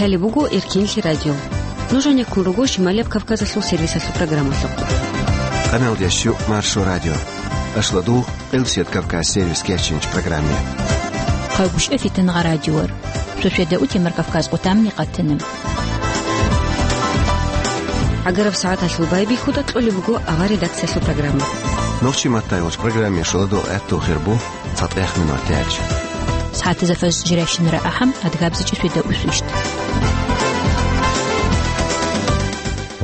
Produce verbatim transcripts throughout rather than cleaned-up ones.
Лъалеб буго Эркенлъи радио. Нуж гьанеккун руго Шималияб Кавказалъул сервисалъул программалъухъ. Къаналдеш Маршо радио. Ашладугъ, Къилсият Кавказ сервис кечинч программе. Хъагушев Фитангъа радиор. Шошеда утемар Кавказ къутамни къатана. ГӀагараб сагӀаталъул байбихьуда кьолеб буго авар редакциялъул программа. Нохчи маттайгъуч программе шоладул гӀатту хирбу. ЦатӀехъ минут тяч. СагӀатизафас жиращинара ахӀам, адгабзичӀи светаусищ.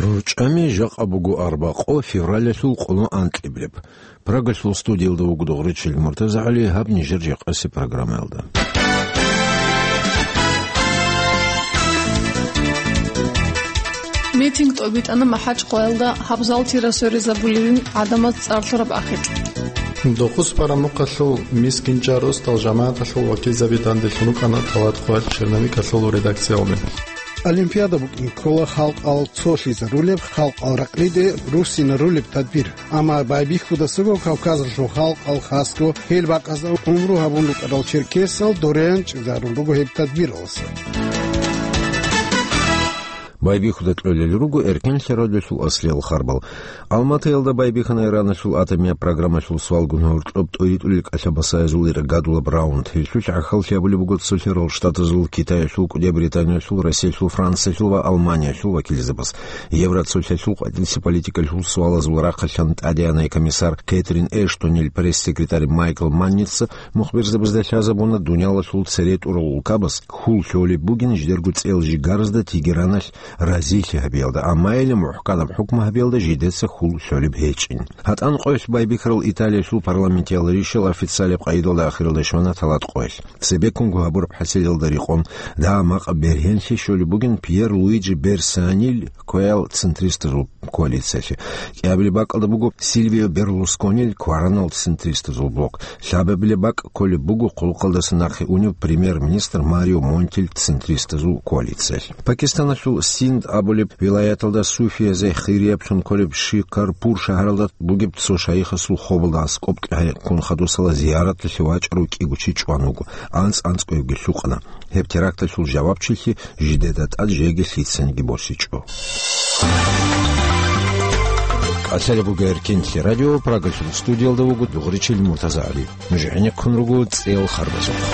РучӀами жакъа буго арбакъо февралалъул къоло анкьиблеб. Прагалъул студиялда вуго Дугъричил МуртазагӀали, гьаб нижер жакъаси программаялда. Митинг тӀобитӀана МахӀачкъалаялда, гьаб зал тира соризабулилин гӀадамаз цӀар лъураб ахикь. Дохъус барамухъалъул мискинчӀа росдал жамагӀаталъул вакилзаби данделъун рукӀана Талат Къоялъ черновикалъул редакциялде. Олимпиада букӀин ккола халкъал цолъизарулеб, халкъал ракълиде руссинарулеб тадбир. Амма байбихьудасаго Кавказалъул халкъал хасго гьел бакъазда гӀумру гьабун рукӀарал черкесал дорен чӀезарун руго гьеб тадбиралъ. Байбихьуда кьолел руго Эркенлъи радиолъул аслиял харбал. Алматаялда байбихьана Ираналъул атомияб программалъул свалгун гьоркьоб тӀоритӀулел кӀалъа-басаязул иргадулаб раунд. Гьелъулъ гӀахьаллъи гьабулеб буго Цолъарал Штатазул, Китаялъул, КӀудияб Британиялъул, Россиялъул, Франциялъул ва Алманиялъул вакилзабаз. Евроцолъалъул къватӀилъи политикалъул суалазул рахъалъан тӀадегӀанай комиссар Кэтрин Эштонил пресс-секретарь Майкл Манница мухбирзабазда лъазабуна дуниялалъул цере тӀурал улкабаз хьул лъолеб бугин жидерго цӀел жигаразда Тегераналъ разилъи гьабиялда, амма гьеле мухӀканаб хӀукму гьабиялда жидеца хьул лъолеб гьечӀин. ГьатӀан къоялъ байбихьарал Италиялъул парламентиял ришал официалияб къайдалда ахиралда щвана Талат Къоялъ. Цебеккунго гьабураб хӀасилалда рекъон, дагьа-макъ бергьенлъи щолеб бугин Пьер Луиджи Берсанил кваял центристазул коалициялъе. КӀиабилеб бакӀалда буго Сильвио Берлусконил кваранал центристазул блок. Лъабабилеб бакӀ кколеб буго хъулухъалдаса нахъе унев премьер-министр Марио Монтил центристазул коалициялъ. Пакистаналъул Синд абулеб вилаяталда суфиязе хирияб цун кколеб Шикарпур шагьаралда бугеб цо шайихасул хобалда аскӀоб кьегӀеккун хадусала зияраталъе вачӀарав кӀиго чи чӀван вуго, анцӀ-анцӀгоябги лъукъана. Гьеб теракталъул жавабчилъи жидеда тӀад жеги лъицаниги босичӀо. КӀалъалеб буго Эркенлъи радио, Прагалъул студиялда вуго Дугъричил МуртазагӀали. Нуж гӀенеккун руго цӀел харбазухъ.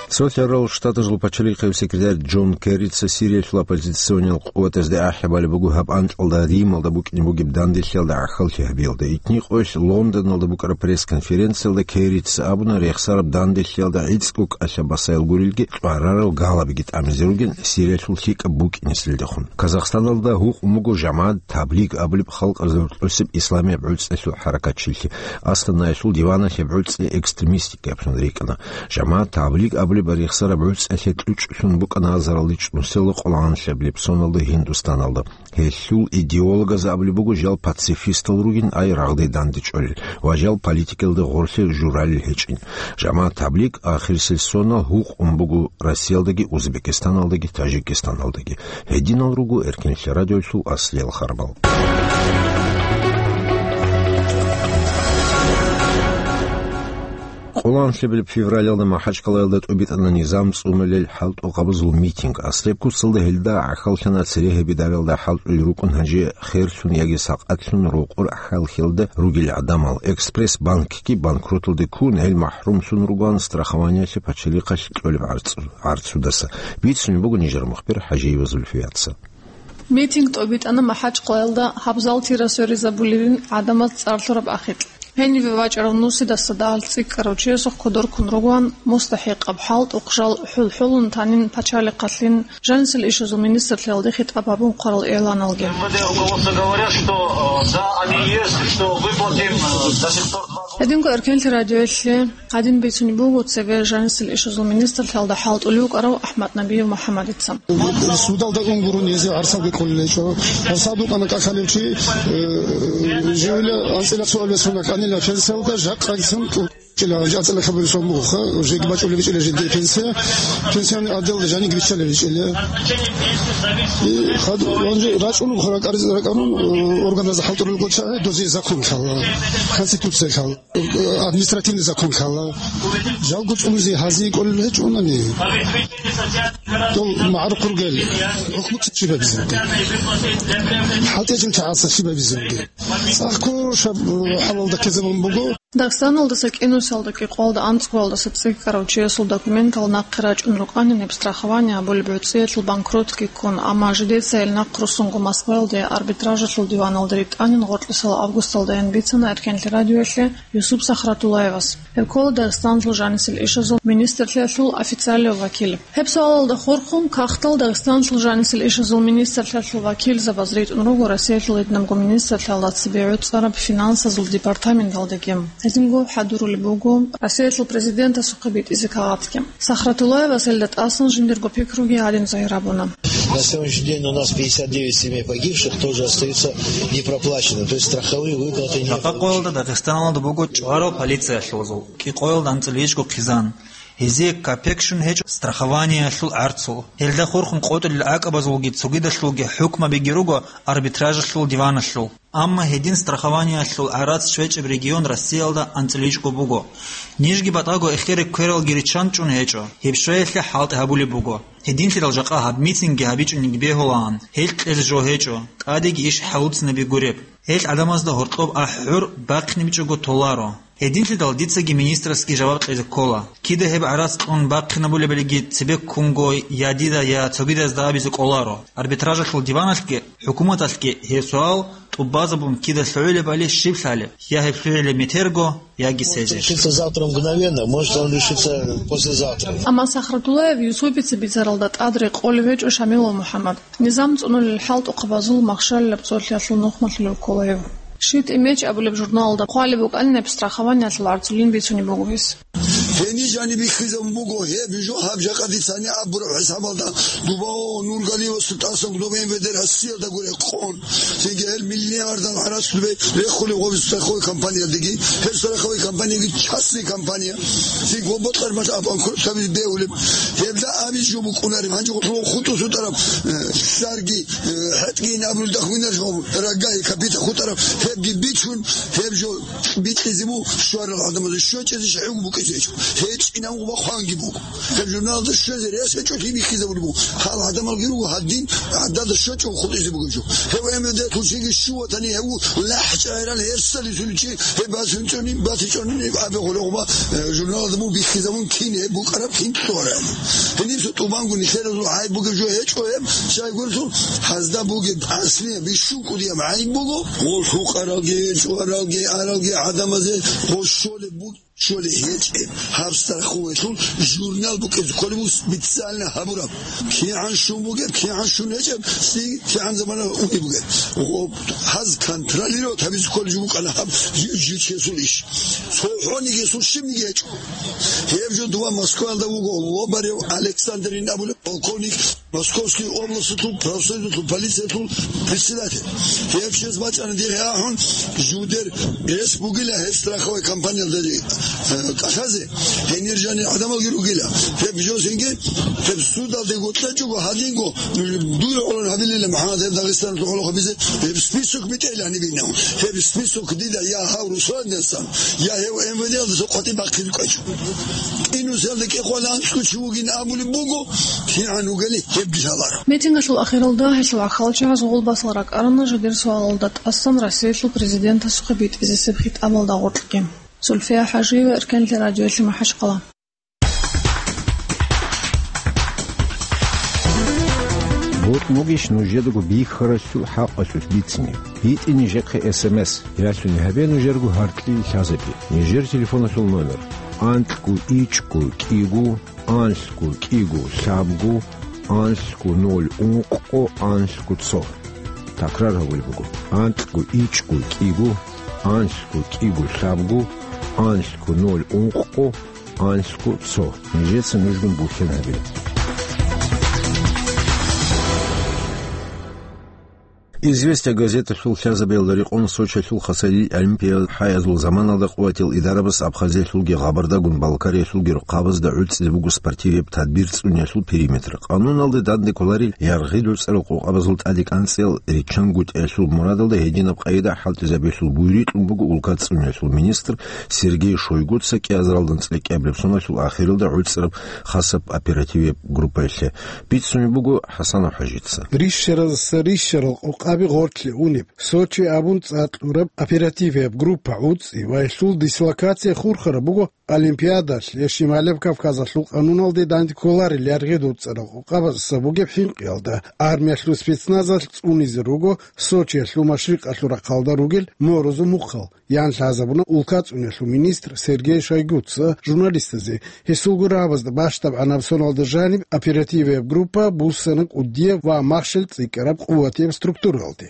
Цолъарал Штатазул пачалихъев секретарь Джон Керрица Сириялъул оппозициониял къуватазде ахӀи балеб буго гьаб анкьалда Рималда букӀине бугеб данделъиялда гӀахьаллъи гьабиялда. Итни къоялъ Лондоналда букӀараб пресс-конференциялда Керрица абуна, рехсараб данделъиялда гӀицӀго кӀалъа-басаял гурелги, чӀварарал галабиги тӀамизе ругин Сириялъул лъикӀаб букӀинеселдехун. Казахстаналда гьукъун буго жамагӀат Таблиг абулеб халкъ разоркьосеб исламияб гӀуцӀиялъул хӀаракатчилъи. Астанаялъул диваналъе гӀуцӀи экстремистикаблъун рикӀкӀана. ЖамагӀат Таблиг абулеб рехсараб гӀуцӀиялъе кьучӀлъун букӀана азаралде чӀунусела къоло анлъабилеб соналда Гьиндустаналда. Гьелъул идеологаз абулеб буго жал пацифистал ругин, ай рагъде дандечӀолел ва жал политикалда гъорлъе журалел гьечӀин. ЖамагӀат Таблиг ахирисел сонал гьукъун буго Россиялдаги Узбекистаналдаги Таджикистаналдаги. Гьединал руго Эркенлъи радиолъул аслиял харбал. Къоло анлъабилеб февралалда МахӀачкъалаялда тӀубитӀана низам цӀунулел хӀалтӀухъабазул митинг. Асреб куцалда гьелда гӀахьаллъана цере гьеб идаралда хӀалтӀулел рукӀун гьанже херлъун яги сакъатлъун рокъор хӀалхьелда ругел гӀадамал. Экспресс-банкги банкроталде ккун, гьел махӀрумлъун ругоан страхованиялъе пачалихъалъ кьолеб гӀарцу-, гӀарцудаса. Бицунеб буго нижер мухбир ХӀажиева Зульфияца. Митинг тӀобитӀана МахӀачкъалаялда гьаб зал тира соризабулилин гӀадамаз цӀар лъураб ахикь. Гьениве вачӀарав нусидаса дагьал цӀикӀкӀарав чиясухъ кодор ккун ругоан мустахӀикъаб хӀалтӀухъ жал хӀул-хӀулун танин пачалихъалъин, жанисел ишазул министрлъиялде хитӀаб гьабун хъварал игӀланалги. М В Д руководство говорят, что, э, да, они есть, что выплатим, э, до сих пор два года. Гьединго Эркенлъи радиоялъе гьадин бицунеб буго цеве жанисел ишазул министрлъиялда хӀалтӀулев вукӀарав АхӀмаднабиев МухӀаммадица. Судалда ун гурони гьезие гӀарсалги кколел гьечӀо. Гьарсал букӀана кӀалъалев чи, э, живила анцӀила цо албесуна кӀанила пенсиялда, жакъа гицин кьу-, ЧӀила, жацӀила хабари сон бугоха, жеги бачӀулеб чӀила жеги пенсия, пенсионный отдел жаниги биччалеб чӀила. И хад, ванже рачӀунуб хара кариз ракӀарун, э, органаза халтурул гоча, дози закон хала, конституция хала, э, административный закон хала. Жалго цӀунизе хази кӀолел гьечӀунани. Дол магӀарухъ ругел, хӀукмуца щибабизинги. ХӀалтӀежил чагӀаца щибабизинги. ЦӀакъго шаб, э, хӀалалда ккезабун буго. Дагъистаналдаса кӀинусиялда кӀикъоялда анцӀгоялдаса цӀикӀкӀарав чиясул документал нахъе рачӀун рукӀанин гьеб страхование абулеб гӀуцӀиялъул банкротги ккун, амма жидеца гьел нахъ руссунго Москваялде арбитражалъул диваналде ритӀанин гъоркьисал августалдайин бицана Эркенлъи радиоялъе Юсуп Сахратуллаевас. Гьеб ккола Дагъистаналъул жанисел ишазул министрлъиялъул официалияв вакил. Гьеб суалалда хурхун, кагътал Дагъистаналъул жанисел ишазул министрлъиялъул вакилзабаз ритӀун руго Россиялъул гьединабго министрлъиялда цебе гӀуцӀараб финансазул департаменталдеги. Гьединго хӀадурулеб буго Россиялъул президентасухъе битӀизе кагъатги. Сахратуллаевас гьелда тӀасан жиндирго пикруги гьадин загьир гьабуна. На сегодняшний день у нас пятьдесят девять семей погибших тоже остаются непроплаченными. То есть страховые выплаты не... Жакъа къоялда Дагъистаналда буго чӀварал полициялъул зул, кӀикъоялда анцӀила ишго хъизан. Гьезие капек щун гьечӀо страхованиялъул гӀарцул. Гьелда хурхун къотӀулел гӀакӀабазулги цогидалъулги хӀукмабиги руго арбитражалъул диваналъул. Амма гьедин страхованиялъул гӀарац щвечӀеб регион Россиялда анцӀила ишго буго. Нижги батӀаго эхере квералги риччан чӀун гьечӀо. Гьеб щвеялъе хӀалтӀи гьабулеб буго. Гьединлъидал жакъа гьаб митинги гьабичӀониги бегьулаан, гьел кьезе жо гьечӀо, тӀадеги иш хӀалуцинабе гуреб. Гьел гӀадамазда гьоркьоб ахӀур бахъинабичӀого толаро. Гьединлъидал дицаги министрасги жаваб кьезе ккола. Кида гьеб гӀарац кьун бахъинабулебалиги цебеккунго я дида, я цогидазда абизе кӀоларо. Арбитражалъул диваналъги, хӀукуматалъги гьеб суал тӀубазабун кида лъугӀулебали щиб лъалеб? Я гьеб лъугӀулеб метерго, яги седе. Решится завтра мгновенно, может, он решится послезавтра. Амма Сахратуллаев Юсупица бицаралда тӀад рекъолев гьечӀо Шамилов МухӀаммад. Низам цӀунулел хӀалтӀухъабазул махщалилаб цолъиялъул нухмалъулев ккола гьев. ЩитӀи меч абулеб журналалда хъвалеб букӀанинаб страхованиялъул гӀарцулин бицунеб буго гьес. Гьениб жаниб биххизабун буго гьеб жо, гьаб жакъа дица гьаниб абураб хӀисабалда, дуба о Нургалиевасул тӀасан дуба МВД Россиялда гуре къон. Цинги гьел миллиардал гӀарац рехулев гъов страховой компаниялдеги, гьел страховой компанияги частный компания. Цинги гъоб бокьармалъ аб банкротство бегьулеб. Гьебда абизе жо букӀунареб, гьанже гъолъул хутӀу сутӀараб, э, сарги, э, хӀетӀги ин абулел дахвинар жо рагагьи капита хутӀараб, гьебги бичун, гьеб жо бикьизе бу щварал гӀадамазда, щвечӀезе щайгу букӀизе гьечӀо. ГьечӀинаб гъуба хъванги буго. Гьеб журналда щвезе рес гьечӀо, гьеб биххизабулеб буго. Гьал гӀадамалги руго гьадин, гӀадада щвечӀого хутӀизе бугеб жо. Гьев МВД тушиги щуватани гьев лахӀчӀайрал гьерсалисуличи, гьеб басунчӀони, батичӀони, абе гъоло гъуба, э, журналда бу биххизабун кин гьеб букӀараб, кин тӀораб. Гьениб цо тӀубанго нилъеразул гӀайиб бугеб жо гьечӀо гьеб, щайгурелъул гьазда бугеб аслияб бищун кӀудияб гӀайиб буго, гъол лъукъаралги, чӀваралги, аралги гӀадамазе гъо щолеб буго. Щолеб гьечӀеб, гьаб страховыялъул журнал букӀине кколеб буго специально гьабураб. КигӀан щун бугеб, кигӀан щун гьечӀеб, цин кигӀан замана унеб бугеб. Гъоб гьаз контролировать гьабизе кколеб жо букӀана гьаб жи-, жичиясул иш. ЦохӀониги гьесул щибниги гьечӀо. Гьеб жо дова Москваялда вуго Лобарев Александрин абулеб полковник, Московский областалъул профсоюзалъул полициялъул председатель. Гьев чияс бачӀана дихъе ахӀун, жудер рес бугила гьеб страховой компаниялда, э, кӀалъазе, гьенир жанир гӀадамалги ругила. Гьеб жо цинги, гьеб судалде гъоркьечӀого гьадинго, дуе гӀоло гьабилила, МухӀаммад, гьеб Дагъистаналъул гӀолохъабизе, гьеб список битӀейила гьаниб инав. Гьеб список дида я гьав Русландасан, я гьев МВД-ялдаса къватӀиб бахъизе кӀвечӀо. КӀинусиялда кӀикъоялда анцӀго чи вугин абулеб буго, кигӀан вугели гьебги лъаларо. Митингалъул ахиралда гьелъул гӀахьалчагӀаз гъулбасал ракӀарана жидер суалалда тӀасан Россиялъул президентасухъе битӀизесеб хитӀабалда гъоркьги. Зульфия ХӀажиева, Эркенлъи радиоялъе, МахӀачхъала. БутӀ бугищ нужедаго бихьарасул хӀакъалъулъ бицине? БитӀе нижехъе СМС. Ялъуни гьабе нужерго гьаркьлъи лъазабе. Нижер телефоналъул номер: анкьго ичӀго кӀиго, анлъго кӀиго лъабго, анлъго ноль ункъго, анлъго цо. Такрар гьабулеб буго: анкьго ичӀго кӀиго, анлъго кӀиго лъабго, анлъго ноль ункъго, анлъго цо. Нижеца нужгун бухьен гьабе. «Известия» газеталъул лъазабиялда рекъон Сочилъул хасалил олимпиал хӀаязул заманалда къуватиял идарабас Абхазиялъулги Гъабардагун Балкариялъулги рухъабазда гӀуцӀизе буго спортивияб тадбир цӀуниялъул периметр. Къануналде данде кколарел яргъи дуцӀарал къокъабазул тӀадекӀанцӀиял риччан гутӀиялъул мурадалда гьединаб къайда хӀалтӀизабиялъул буюрикь кьун буго улка цӀуниялъул министр Сергей Шойгуца кӀиазаралда анцӀила кӀиабилеб соналъул ахиралда гӀуцӀараб хасаб оперативияб группаялъе. Бицунеб буго ХӀасанов ХӀажица. Рищаразаса рищарал къокъаби гъоркье унеб, Сочи абун цӀакъ кьураб оперативияб группа гӀуцӀи ва гьелъул дислокация хурхараб буго Олимпиадалъ я Шималаб Кавказалъул къануналде данде кколарел яргъи дуцӀарал къокъабазаса бугеб хӀинкъиялда, армиялъул спецназалъ цӀунизе руго Сочиялъул машрикъалъул рахъалда ругел Морозул мухъал, ян лъазабуна улка цӀуниялъул министр Сергей Шойгуца журналистазе. Гьесулго рагӀабазда бащдабгӀанаб соналда жаниб оперативияб группа буссана кӀудияб ва махщел цӀикӀкӀараб къуватияб структуралде.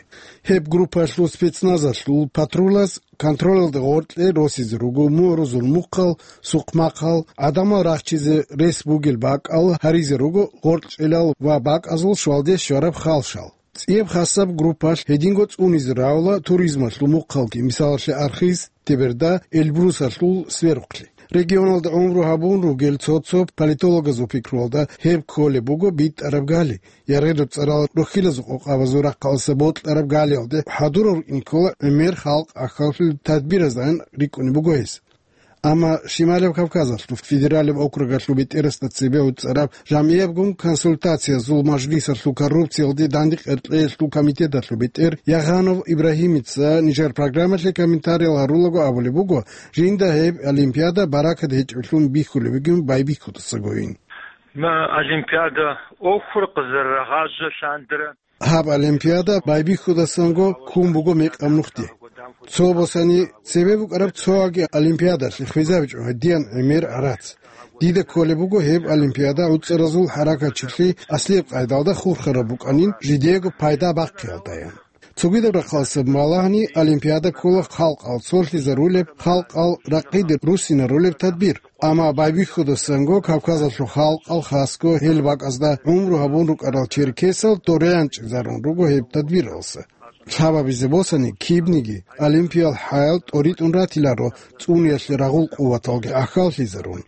Гьеб группаялъул спецназалъул патрулаз контролалда гъоркье росизе руго Морозул мухъал, Сухъмахъал, гӀадамал рахчизе рес бугел бакӀал, гьаризе руго гъоркьчӀелал ва бакӀазул щвалде щвараб халщал. ЦӀияб хасаб группалъ гьединго цӀунизе равла туризмалъул мухъалги, мисалалъе, Архыз, Теберда, Эльбрусалъул сверухълъи. Регионалда гӀумру гьабун ругел цо-цо политологазул пикруялда, гьеб кколеб буго битӀараб гали, яргъи дуцӀарал рохьилазул къокъабазул рахъалъа бокьараб галиялде хӀадурал рукӀин ккола гӀемер халкъ ахьаллъулел тадбиразайин рикӀкӀунеб буго гьес. Амма Шималаб Кавказалъул федералияб округалъул бетӀерасда цебе гӀуцӀараб жамгӀиябгун консультациязул мажлисалъул коррупциялде дандекъеркьеялъул комитеталъул бетӀер Ягъанов Ибрагьимица нижер программалъе комментариял гьарулаго абулеб буго, жинда гьеб олимпиада баракат гьечӀеблъун бихьулеб бугин байбихьудасагойин. Ма олимпиада охур къазаррагъажа лъандара. Гьаб олимпиада байбихьудасанго ккун буго мекъаб нухде. Цо босани цебе букӀараб цояги олимпиадалъе хвезабичӀо гьадиян гӀемер гӀарац. Дида кколеб буго гьеб олимпиада гӀуцӀаразул хӀаракатчилъи аслияб къайдалда хурхараб букӀанин жидеего пайда бахъиялдаян. Цогидаб рахъалъа балагьани, олимпиада ккола халкъал цолъизарулеб, халкъал ракъиде руссинарулеб тадбир. Амма байбихьудасанго Кавказалъул халкъал, хасго гьел бакӀазда гӀумру гьабун рукӀарал черкесал дорянчӀезарун руго гьеб тадбиралса. Лъабабизе босани, кибниги олимпиял хӀаял тӀоритӀун ратиларо цӀуниялъе рагъул къуваталги ахьаллъизарун.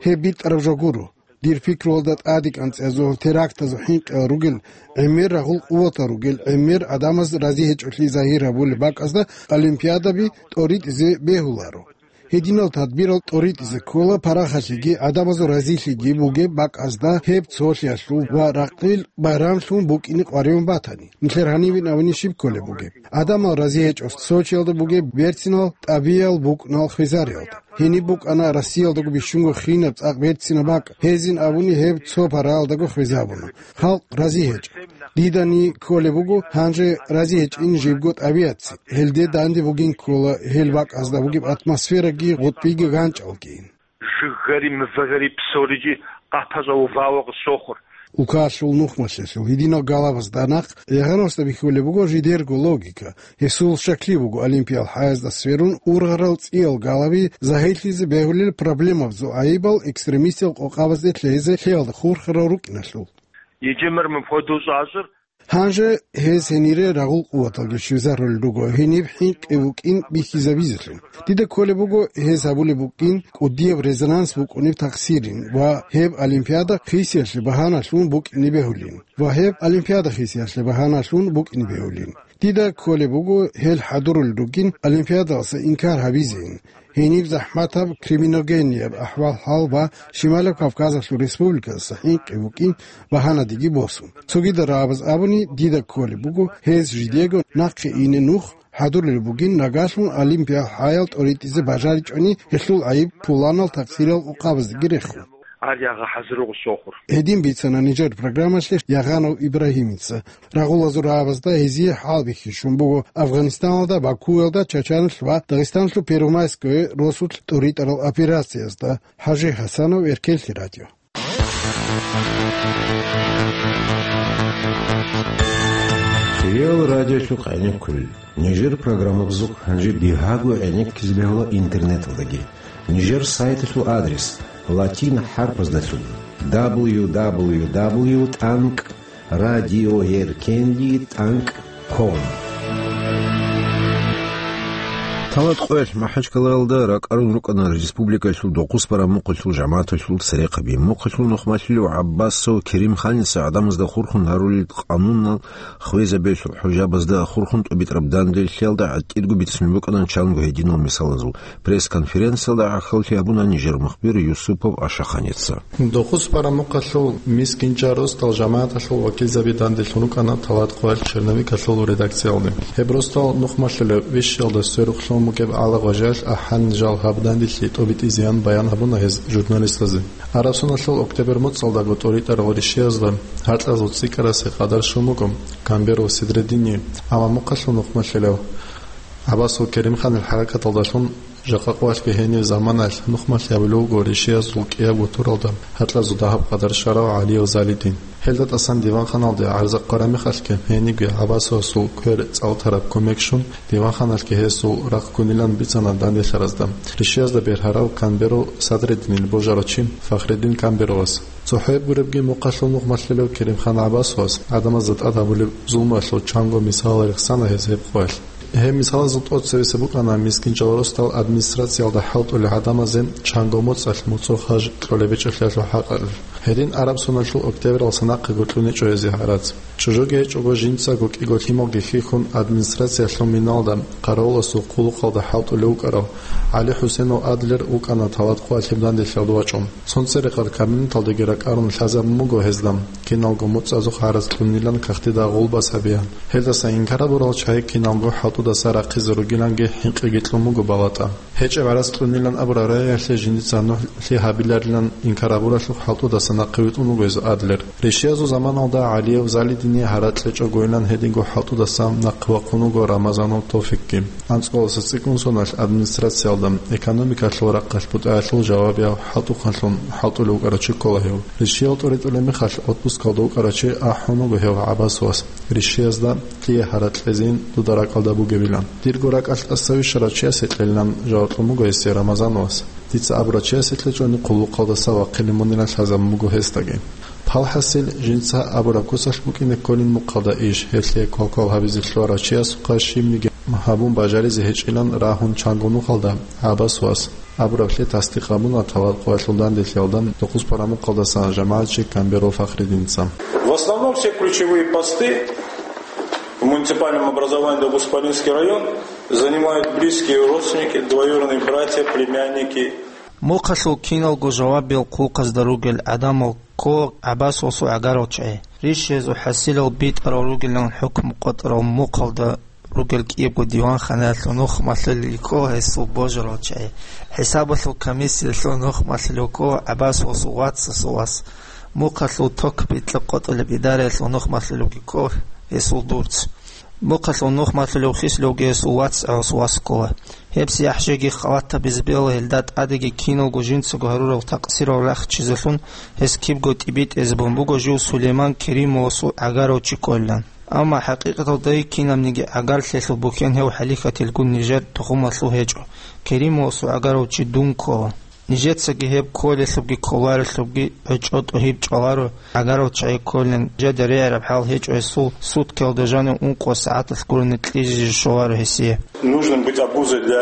Гьеб битӀараб жо гуро. Дир пикруялда тӀадекӀанцӀиязул, терактазул хӀинкъиял ругел, гӀемер рагъул къуватал ругел, гӀемер гӀадамаз рази гьечӀолъи загьир гьабулеб бакӀазда олимпиадаби тӀоритӀизе бегьуларо. Гьединал тадбирал тӀоритӀизе ккола парахалъиги гӀадамазул разилъиги бугеб бакӀазда гьеб цолъиялъул ва ракъил байрамлъун букӀине къваригӀун батани. Нилъер гьанивин абуни щиб кколеб бугеб? ГӀадамал рази гьечӀо Сочиялда бугеб берцинал тӀабиял букӀунал хвезариялда. Гьениб букӀана Россиялдаго бищунго хинаб цӀакъ берцинаб бакӀ. Гьезин абуни гьеб цо параялдаго хвезабуна. Халкъ рази гьечӀо. Дидани кколеб буго, гьанже рази гьечӀин жибго тӀабиятци. Гьелде данде бугин ккола гьел бакӀазда бугеб атмосфераги гъутӀбиги ганчӀалгин. Жиггари, мвагари, псориги къапаза увавагъ сохур. Улкалъул нухмалъалъул гьединал галабазда нахъ Ягъановасда бихьулеб буго жидерго логика. Гьесул щаклъи буго олимпиял хӀаязда сверун ургъарал цӀиял галаби загьирлъизе бегьулел проблемабазул гӀайибал экстремистиял къокъабазде лъезе лъеялда хурхарал рукӀиналъул. Ежемер мун хведуз азур. Гьанже гьез гьенире рагъул къуваталги щвезарулел руго, гьениб хӀинкъи букӀин бихьизабизелъун. Дида кколеб буго гьез гьабулеб букӀин кӀудияб резонанс букӀунеб тахсирин ва гьеб олимпиада хисиялъе багьаналъун букӀине бегьулин ва гьеб олимпиада хисиялъе багьаналъун букӀине бегьулин. Дида кколеб буго гьел хӀадурулел ругин олимпиадалъа инкар гьабизейин. Гьениб захӀматаб криминогенияб ахӀвал-хӀал ва Шималаб Кавказалъул республикаялдаса хӀинкъи букӀин багьанадеги босун. Цогидал рагӀабаз абуни, дида кколеб буго, гьез жидего нахъе ине нух хӀадурулеб бугин, нагалъун олимпиял хӀаял тӀоритӀизе бажаричӀони, гьелъул гӀайиб пуланал такъсирал къокъабаздеги рехун. Гьар ягъа хӀазир руго сохур. Гьедин бицана нижер программалъе Ягъанов Ибрагьимица. Рагъулазул рагӀабазда гьезие хӀалбихьичӀун буго Афганистаналда, Бакуялда, Чачаналъ ва Дагъистаналъул Первомайское росулъ тӀуритӀарал операциязда. ХӀажи ХӀасанов, Эркенлъи радио. Хириял радиолъухъ гӀенеккулел. Нижер программабазухъ гьанже бигьаго гӀенеккизе бегьула интернеталдаги. Нижер сайталъул адрес латин хӀарпаздалъун: дабл ю дабл ю дабл ю тӀанкӀ радиоэркенлъи тӀанкӀ Ком. Талат къоялъ МахӀачкалаялда ракӀарун рукӀана республикалъул дохъус бараб мухъалъул жамагӀаталъул церехъаби. Мухъалъул нухмалъулев ГӀаббасов Керимханица гӀадамазда хурхун гьарулел къанунал хвезабиялъул хӀужабазда хурхун тӀубитӀараб данделъиялда гӀатӀирго бицунеб букӀана чанго гьединал мисалазул. Пресс-конференциялда гӀахьаллъи гьабуна нижер мухбир Юсупов Ашаханица. Дохъус бараб мухъалъул мискинчӀарал росдал жамагӀаталъул вакилзаби данделъун рукӀана Талат къоялъ черновикалъул редакциялде. Гьеб росдал нухмалъулев вищиялда сверухълъун бугеб гӀалагъважалъ ахӀан жал гьаб данделъи тӀубитӀизеян баян гьабуна гьез журналистазе. Араб соналъул октябрь муцӀалдаго тӀоритӀарал ришиязда гьаркьазул цӀикӀкӀарасе къадар щун буго Камберов Седредине, амма мухъалъул нухмалъулев ГӀаббасов Керимханил хӀаракаталдалъун жакъа къоялъги гьенив заманаялъ нухмалъи гьабулев вуго ришиязул кӀиябго туралда гьаркьазул дагьаб къадар щварав ГӀалиев Залидин. Гьелда тӀасан диванханалде гӀарза хъвараб мехалъги гьенибги ГӀаббасовасул квер цӀалтараб кумек щун, диванханалъги гьесул рахъ ккунилан бицана данделъаразда. Ришиязда бергьарав Камберов Садрединил божарав чи Фахреддин Камберовас. ЦохӀо гьеб гуребги мухъалъул нухмалъулев Керимхан ГӀаббасовас гӀадамазда тӀад гьабулеб зулмуялъул чанго мисалал рехсана гьез гьеб къоялъ. Гьеб мисалазул тӀоцебесеб букӀана мискинчӀарал росдал администрациялда хӀалтӀулел гӀадамазе чанго моцӀалъ муцӀо хаж кьолеб гьечӀолъиялъул хӀакъалъулъ. Гьедин араб соналъул октябралдаса нахъего кьуничӀо гьезие гьарац. ЧӀужуги гьечӀого жинцаго кӀиго лъималги хьихьун администрациялъул миналда къаравуласул хъулухъалда хӀалтӀулев вукӀарав ГӀали ХӀусенов Адлер вукӀана Талат къоялъ данделъиялда вачӀун. Цо церехъаб кабинеталдеги ракӀарун лъазабун буго гьезда, киналго моцӀазухъ гӀарац кьунилан кагътида гъулбас гьабеян. Гьелдаса инкар гьабурал чагӀи киналго хӀалтӀудаса рахъизе ругиланги хӀинкъиги кьун буго балатӀа. ГьечӀеб гӀарац кьунилан абураб рагӀиялъе жиндица нухлъи гьабиларилан инкар гьабуралъухъ хӀалтӀудаса нахъе витӀун вуго гьез Адлер. Ришиязул заманалда ГӀалиев Залидине гьаракь кьечӀогойилан гьединго хӀалтӀудаса нахъе вахъун вуго Рамазанов Тофикги. АнцӀкъоласа цӀикӀкӀун соналъ администрациялда экономикалъул рахъалъ бутӀаялъул жавабияв хӀалтӀухъанлъун хӀалтӀулев вукӀарав чи ккола гьев. Ришиял тӀоритӀулеб мехалъ отпускалда вукӀарав чи ахӀун вуго гьев ГӀаббасовас, ришиязда лъие гьаракь кьезейин дуда ракӀалда бугебилан. Дирго ракӀалъ тӀаса вищарав чиясе кьелилан жаваб кьун буго гьесие Рамазановас. Дица абурав чиясе кьечӀони хъулухъалдаса вахъине мунилан лъазабун буго гьесдаги. Палхасил жинца абураб куцалъ букӀине кколин мухъалда иш, гьелъие квалквал гьабизе лъугьарав чиясухъа щибниги гьабун бажаризе гьечӀилан рагьун чанго нухалда ГӀаббасовас абураблъи тасдикъ гьабуна Талат къоялъул данделъиялда дохъус бараб мухъалдасан жамагӀатчи Камберов Фахриддинца. В основном все ключевые посты в муниципальном образовании Дохъус-Палинский район занимают близкие родственники, двоюродные братья, племянники. Мухъалъул киналго жавабиял хъулухъазда ругел гӀадамал ккола ГӀаббасовасул гӀагарал чагӀи. Ришиязул хӀасилал битӀарал ругилан хӀукму къотӀарал мухъалда ругел кӀиябго диванханаялъул нухмалъулелги ккола гьесул божарал чагӀи. ХӀисабалъул комиссиялъул нухмалъулев ккола ГӀаббасовасул вацасул вас. Мухъалъул ток-битӀа къотӀулеб идараялъул нухмалъулевги ккола гьесул дурц. Мухъалъул нухмалъулев хислъувги гьесул вацгӀаласул вас ккола. Гьеб сияхӀ жеги халатабизе бегьула, гьелда тӀадеги киналго жинцаго гьарурал такъсирал рахчизелъун гьес кибго тӀибитӀизабун буго жив Сулейман Керимовасул гӀагарав чи кколилан. Амма хӀакъикъаталда кинабниги гӀагарлъиялъул бухьен гьев хӀалихьатилгун нижер тухумалъул гьечӀо. Керимовасул гӀагарав чи дун ккола. Нижецаги гьеб кколелъубги кколарелъубги гӀечӀо тӀогьиб чӀваларо, гӀагарав чагӀи кколин, жеда регӀараб хӀал гьечӀо гьесул, суткиялда жанив ункъо сагӀаталъ гурони кьижизе щоларо гьесие. Нужно быть обузой для,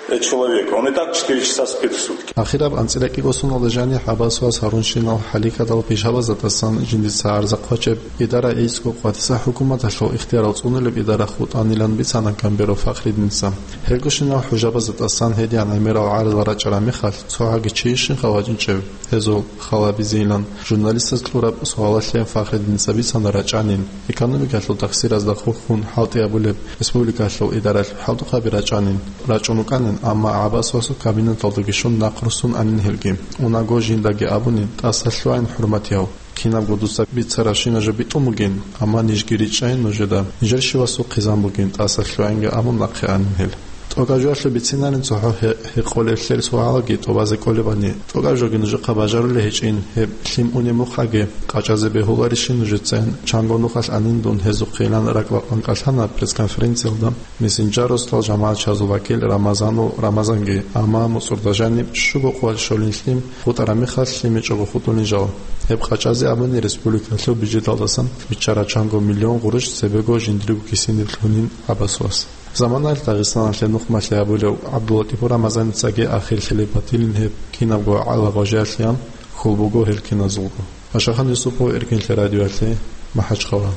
э, человека. Он и так четыре часа спит в сутки. Ахираб анцӀила кӀиго соналда жаниб ГӀаббасовас гьарунщинал хӀалихьадал пишабаздасан жиндица гӀарза хъвачеб, идара гӀицӀго къватиса хӀукуматалъул ихтиярал цӀунулеб идара хутӀанилан бицана Камберов Фахриддинца. Гьелгощинал хӀужабазда тӀасан гьедигӀан гӀемерал гӀарзал рачӀараб мехалъ, цо гьаги чи щинха вачӀинчӀев гьезул халабизейилан журналистаз кьураб суалалъе Фахриддинца бицана рачӀанин, экономикалъул такъсиразда хурхун хӀалтӀи гьабулеб республикалъул идаралъ хӀалтӀухъаби рачӀанин, рачӀун рукӀанин, амма ГӀаббасовасул кабинеталдаги щун нахъ руссун анин гьелги. Унаго жиндаги абунин, тӀаса лъугӀин, хӀурматияв. Кинабго дуца бицарабщина жо битӀун бугин, амма нижги ричӀчӀайин нужеда, нижер щивасул хъизан бугин, тӀаса лъугӀинги абун нахъе анин гьел. ТӀокӀаб жоялъул бицинарин цохӀо гье-, гьекъолеблъер суалги тӀубазе кӀолебани, тӀокӀаб жоги нужехъа бажарулей гьечӀин, гьеб лъим унеб мухъаги къачӀазе бегьуларищин нужецайин чанго нухалъ анин дун гьезухъейилан ракӀбакъван кӀалъана пресс-конференциялда мессенджералъул жамагӀатчиязул вакил Рамазанов Рамазанги, амма муцӀурда жаниб щуго къоялъ щолин лъим хутӀараб мехалъ лъимичӀого хутӀулин жал. Гьеб къачӀазе абуни республикалъул бюджеталдасан биччараб чанго миллион гъурущ цебего жиндирго кисиниб лъунин гьабасвас. Заманаялъ Дагъистаналъе нухмалъи гьабулев ГӀабдуллатӀипов Рамазаницаги ахирлъи батилин гьеб кинабго гӀалагъважиялъеян хьул буго гьел киназулго. Пашахан Юсупов, Эркинлъи радиоялъе, МахӀачхъала.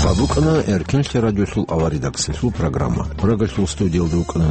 Гьаб букӀана Эркинлъи радиолъул аваридаксалъул программа. Прагалъул студиялда вукӀана